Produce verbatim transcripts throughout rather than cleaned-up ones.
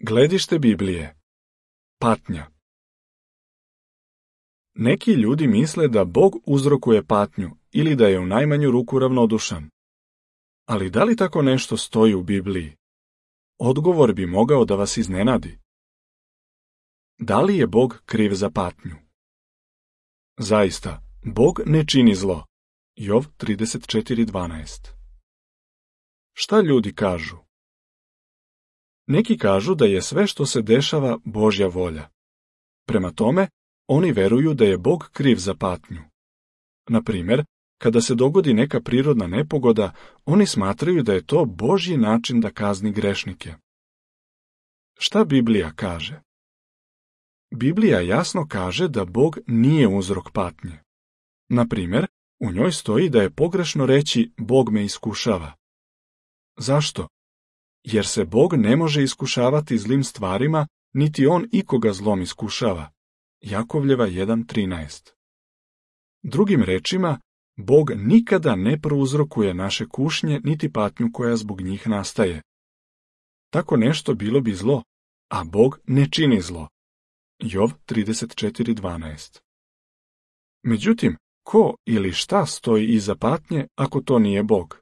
Gledište Biblije. Patnja. Neki ljudi misle da Bog uzrokuje patnju ili da je u najmanju ruku ravnodušan. Ali da li tako nešto stoji u Bibliji? Odgovor bi mogao da vas iznenadi. Da li je Bog kriv za patnju? Zaista, Bog ne čini zlo. Jov trideset četiri dvanaest. Šta ljudi kažu? Neki kažu da je sve što se dešava Božja volja. Prema tome, oni veruju da je Bog kriv za patnju. Na primjer, kada se dogodi neka prirodna nepogoda, oni smatraju da je to Božji način da kazni grešnike. Šta Biblija kaže? Biblija jasno kaže da Bog nije uzrok patnje. Na primjer, u njoj stoji da je pogrešno reći Bog me iskušava. Zašto? Jer se Bog ne može iskušavati zlim stvarima, niti on ikoga zlom iskušava. Jakovljeva jedan trinaest. Drugim rečima, Bog nikada ne prouzrokuje naše kušnje niti patnju koja zbog njih nastaje. Tako nešto bilo bi zlo, a Bog ne čini zlo. Jov trideset četiri dvanaest. Međutim, ko ili šta stoji iza patnje ako to nije Bog?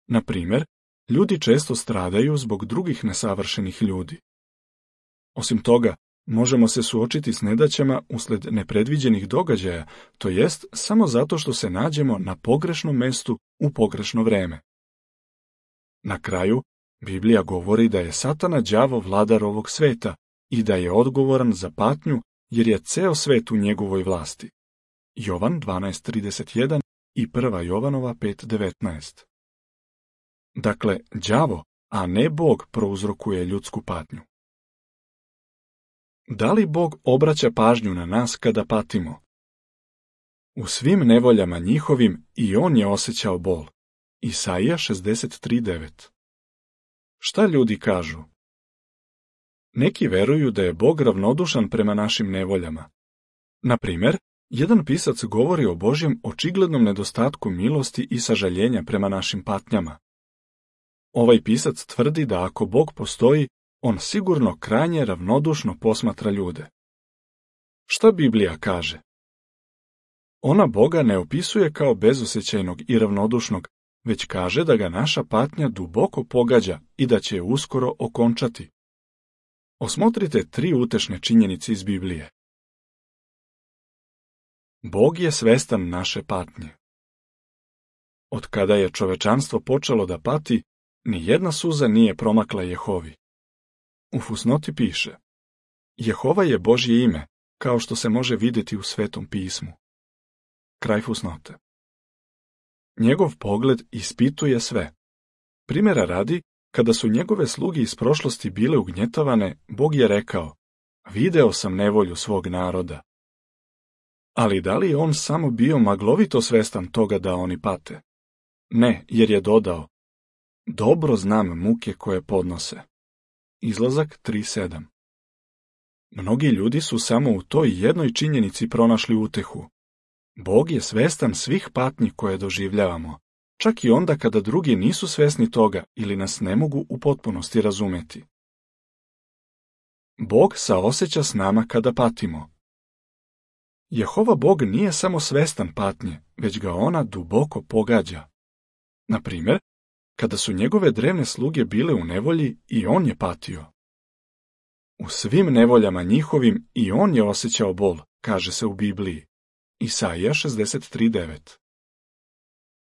Na primjer, ljudi često stradaju zbog drugih nesavršenih ljudi. Osim toga, možemo se suočiti s nedaćama usled nepredviđenih događaja, to jest samo zato što se nađemo na pogrešnom mestu u pogrešno vreme. Na kraju, Biblija govori da je Satana đavo vladar ovog sveta i da je odgovoran za patnju jer je ceo svet u njegovoj vlasti. Jovan dvanaest trideset jedan i prva Jovanova pet devetnaest. Dakle, đavo, a ne Bog prouzrokuje ljudsku patnju. Da li Bog obraća pažnju na nas kada patimo? U svim nevoljama njihovim i on je osjećao bol. Isaija šezdeset tri devet. Šta ljudi kažu? Neki veruju da je Bog ravnodušan prema našim nevoljama. Na primjer, jedan pisac govori o Božjem očiglednom nedostatku milosti i sažaljenja prema našim patnjama. Ovaj pisac tvrdi da ako Bog postoji, on sigurno krajnje ravnodušno posmatra ljude. Šta Biblija kaže? Ona Boga ne opisuje kao bezosjećajnog i ravnodušnog, već kaže da ga naša patnja duboko pogađa i da će je uskoro okončati. Osmotrite tri utešne činjenice iz Biblije. Bog je svestan naše patnje. Od kada je čovečanstvo počelo da pati, ni jedna suza nije promakla Jehovi. U fusnoti piše: Jehova je Božje ime, kao što se može vidjeti u Svetom pismu. Kraj fusnote. Njegov pogled ispituje sve. Primjera radi, kada su njegove sluge iz prošlosti bile ugnjetavane, Bog je rekao: Video sam nevolju svog naroda. Ali da li je on samo bio maglovito svestan toga da oni pate? Ne, jer je dodao: Dobro znam muke koje podnose. Izlazak tri sedam. Mnogi ljudi su samo u toj jednoj činjenici pronašli utehu. Bog je svestan svih patnji koje doživljavamo, čak i onda kada drugi nisu svesni toga ili nas ne mogu u potpunosti razumeti. Bog saoseća s nama kada patimo. Jehova Bog nije samo svestan patnje, već ga ona duboko pogađa. Na primjer, kada su njegove drevne sluge bile u nevolji i on je patio. U svim nevoljama njihovim i on je osjećao bol, kaže se u Bibliji. Isaija šezdeset tri devet.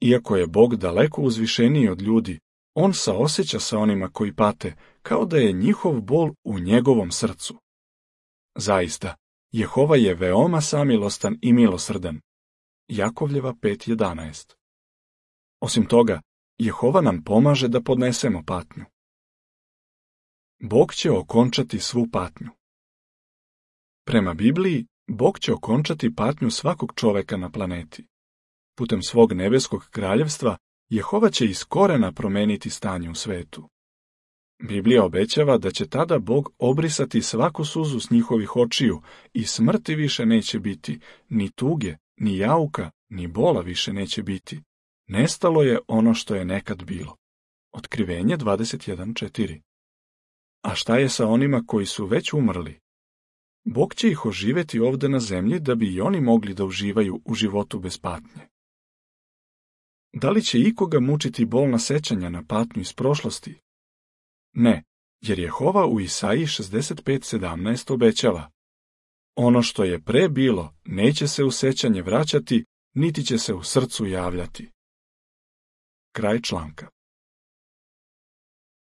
Iako je Bog daleko uzvišeniji od ljudi, on saosjeća sa onima koji pate, kao da je njihov bol u njegovom srcu. Zaista, Jehova je veoma samilostan i milosrdan. Jakovljeva pet jedanaest. Osim toga, Jehova nam pomaže da podnesemo patnju. Bog će okončati svu patnju. Prema Bibliji, Bog će okončati patnju svakog čoveka na planeti. Putem svog nebeskog kraljevstva, Jehova će iz korena promeniti stanje u svetu. Biblija obećava da će tada Bog obrisati svaku suzu s njihovih očiju i smrti više neće biti, ni tuge, ni jauka, ni bola više neće biti. Nestalo je ono što je nekad bilo. Otkrivenje dvadeset jedan četiri. A šta je sa onima koji su već umrli? Bog će ih oživjeti ovdje na zemlji da bi i oni mogli da uživaju u životu bez patnje. Da li će ikoga mučiti bolna sećanja na patnju iz prošlosti? Ne, jer Jehova u Isaiji šezdeset pet sedamnaest obećava: ono što je pre bilo neće se u sećanje vraćati, niti će se u srcu javljati. Kraj članka.